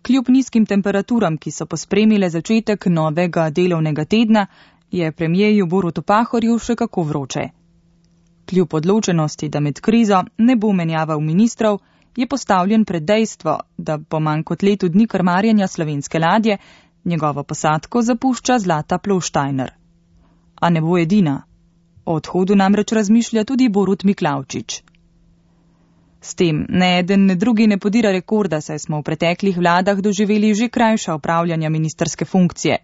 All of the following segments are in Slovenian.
Kljub nizkim temperaturam, ki so pospremile začetek novega delovnega tedna, je premierju Borutu Pahorju še kako vroče. Kljub odločenosti, da med krizo ne bo menjaval ministrov, je postavljen pred dejstvo, da po manj kot letu dni krmarjenja slovenske ladje njegovo posadko zapušča Zlata Plovštajner. A ne bo edina. O odhodu namreč razmišlja tudi Borut Miklavčič. S tem ne eden ne drugi ne podira rekorda, saj smo v preteklih vladah doživeli že krajša opravljanja ministrske funkcije.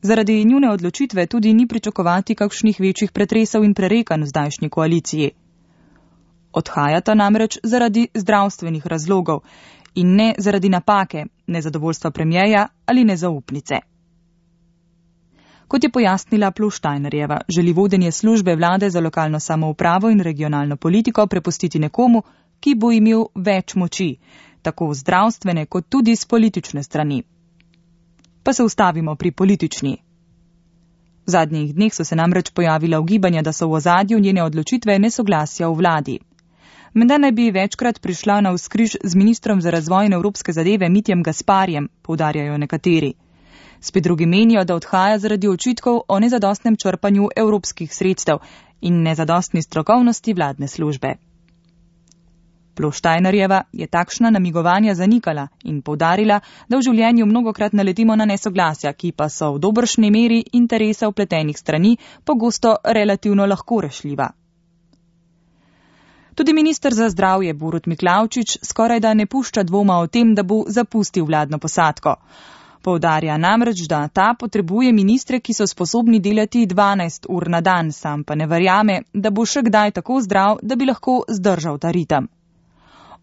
Zaradi njune odločitve tudi ni pričakovati kakšnih večjih pretresov in prerekanj v zdajšnji koaliciji. Odhajata namreč zaradi zdravstvenih razlogov in ne zaradi napake, nezadovoljstva premierja ali nezaupnice. Kot je pojasnila Plovštajnerjeva, želi vodenje službe vlade za lokalno samoupravo in regionalno politiko prepustiti nekomu, ki bo imel več moči, tako zdravstvene kot tudi z politične strani. Pa se ustavimo pri politični. V zadnjih dneh so se namreč pojavila ugibanja, da so v ozadju njene odločitve nesoglasja v vladi. Menda naj bi večkrat prišla na vzkriž z ministrom za razvoj in evropske zadeve Mitjem Gasparjem, poudarjajo nekateri. Spet drugi menijo, da odhaja zaradi očitkov o nezadostnem črpanju evropskih sredstev in nezadostni strokovnosti vladne službe. Plovštajnerjeva je takšna namigovanja zanikala in poudarila, da v življenju mnogokrat naletimo na nesoglasja, ki pa so v dobršni meri interesa vpletenih strani pogosto relativno lahko rešljiva. Tudi minister za zdravje Borut Miklavčič skorajda ne pušča dvoma o tem, da bo zapustil vladno posadko. Poudarja namreč, da ta potrebuje ministre, ki so sposobni delati 12 ur na dan, sam pa ne verjame, da bo še kdaj tako zdrav, da bi lahko zdržal ta ritem.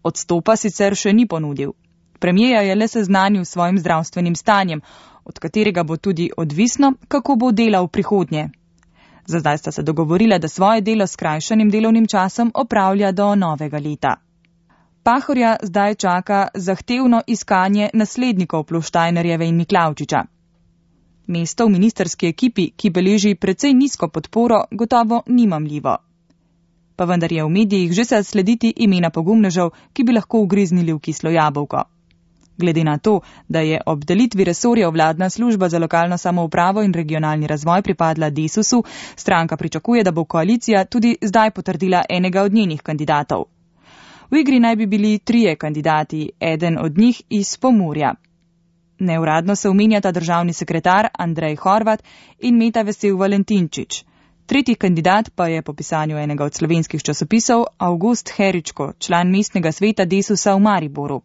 Odstopa sicer še ni ponudil. Premierja je le seznanil s svojim zdravstvenim stanjem, od katerega bo tudi odvisno, kako bo delal v prihodnje. Za zdaj sta se dogovorila, da svoje delo s skrajšanim delovnim časom opravlja do novega leta. Pahorja zdaj čaka zahtevno iskanje naslednikov Plovštajnerjeve in Miklavčiča. Mesto v ministrski ekipi, ki beleži precej nizko podporo, gotovo ni mamljivo. Pa vendar je v medijih že se slediti imena pogumnežev, ki bi lahko ugriznili v kislo jabolko. Glede na to, da je ob delitvi resorjev vladna služba za lokalno samoupravo in regionalni razvoj pripadla Desusu, stranka pričakuje, da bo koalicija tudi zdaj potrdila enega od njenih kandidatov. V igri naj bi bili 3 kandidati, eden od njih iz Pomurja. Neuradno se omenjata državni sekretar Andrej Horvat in Meta Vesel Valentinčič. Tretji kandidat pa je po pisanju enega od slovenskih časopisov Avgust Heričko, član mestnega sveta Desusa v Mariboru.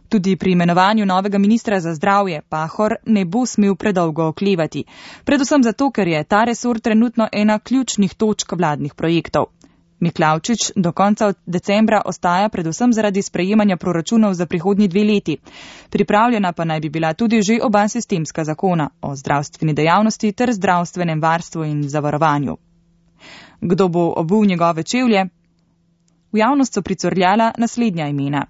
Tudi pri imenovanju novega ministra za zdravje Pahor ne bo smel predolgo oklevati, predvsem zato, ker je ta resor trenutno ena ključnih točk vladnih projektov. Miklavčič do konca decembra ostaja predvsem zaradi sprejemanja proračunov za prihodnji 2 leti. Pripravljena pa naj bi bila tudi že oba sistemska zakona o zdravstveni dejavnosti ter zdravstvenem varstvu in zavarovanju. Kdo bo obul njegove čevlje? V javnost so pricurljala naslednja imena.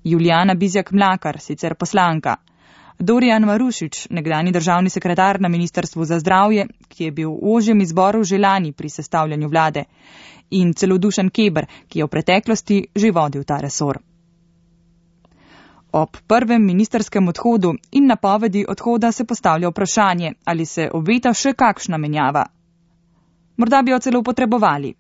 Julijana Bizjak-Mlakar, sicer poslanka. Dorijan Marušič, nekdani državni sekretar na Ministrstvu za zdravje, ki je bil v ožjem izboru že lani pri sestavljanju vlade. In celo Dušan Keber, ki je v preteklosti že vodil ta resor. Ob prvem ministrskem odhodu in napovedi odhoda se postavlja vprašanje, ali se obeta še kakšna menjava. Morda bi jo celo potrebovali.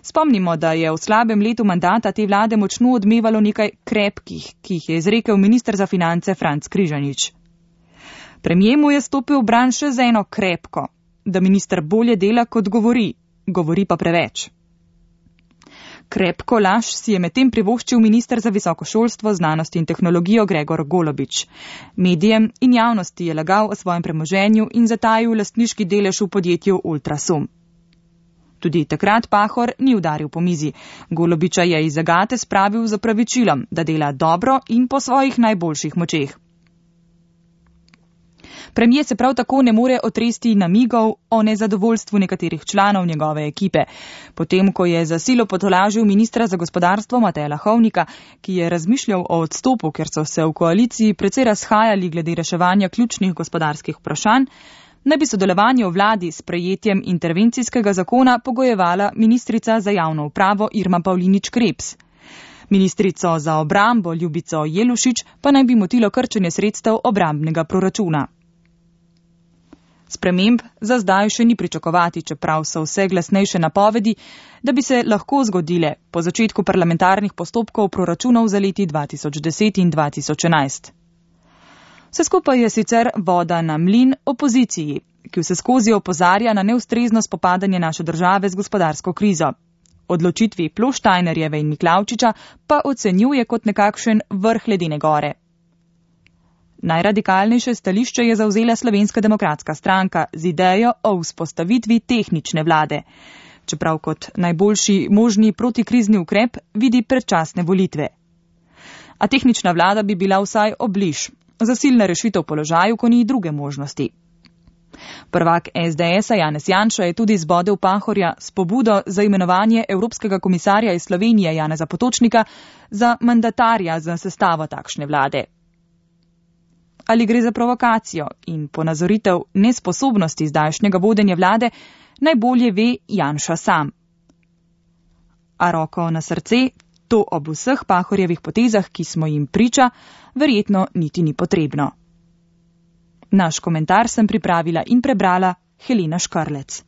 Spomnimo, da je v slabem letu mandata te vlade močno odmevalo nekaj krepkih, ki jih je izrekel minister za finance Franc Križanič. Premier mu je stopil v bran še z eno krepko, da minister bolje dela kot govori pa preveč. Krepko laž si je medtem privoščil minister za visoko šolstvo, znanost in tehnologijo Gregor Golobič. Medijem in javnosti je lagal o svojem premoženju in zatajil lastniški delež v podjetju Ultrasum. Tudi takrat Pahor ni udaril po mizi. Golobiča je iz zagate spravil z opravičilom, da dela dobro in po svojih najboljših močeh. Premier se prav tako ne more otresti namigov o nezadovoljstvu nekaterih članov njegove ekipe. Potem, ko je za silo potolažil ministra za gospodarstvo Mateja Lahovnika, ki je razmišljal o odstopu, ker so se v koaliciji precej razhajali glede reševanja ključnih gospodarskih vprašanj, naj bi sodelovanje v vladi s sprejetjem intervencijskega zakona pogojevala ministrica za javno upravo Irma Pavlinič Krebs. Ministrico za obrambo Ljubico Jelušič pa naj bi motilo krčenje sredstev obrambnega proračuna. Sprememb za zdaj še ni pričakovati, čeprav so vse glasnejše napovedi, da bi se lahko zgodile po začetku parlamentarnih postopkov proračunov za leti 2010 in 2011. Vse skupaj je sicer voda na mlin opoziciji, ki vse skozi opozarja na neustrezno spopadanje naše države z gospodarsko krizo. Odločitvi Ploštajnerjeve in Miklavčiča pa ocenjuje kot nekakšen vrh ledene gore. Najradikalnejše stališče je zavzela Slovenska demokratska stranka z idejo o vzpostavitvi tehnične vlade, čeprav kot najboljši možni protikrizni ukrep vidi predčasne volitve. A tehnična vlada bi bila vsaj obliž, zasilna rešitev v položaju, ko ni druge možnosti. Prvak SDS-a Janez Janša je tudi zbodel Pahorja s pobudo za imenovanje Evropskega komisarja iz Slovenije Janeza Potočnika za mandatarja za sestavo takšne vlade. Ali gre za provokacijo in ponazoritev nesposobnosti zdajšnjega vodenja vlade, najbolje ve Janša sam. A roko na srce, to ob vseh Pahorjevih potezah, ki smo jim priča, verjetno niti ni potrebno. Naš komentar sem pripravila in prebrala Helena Škarlec.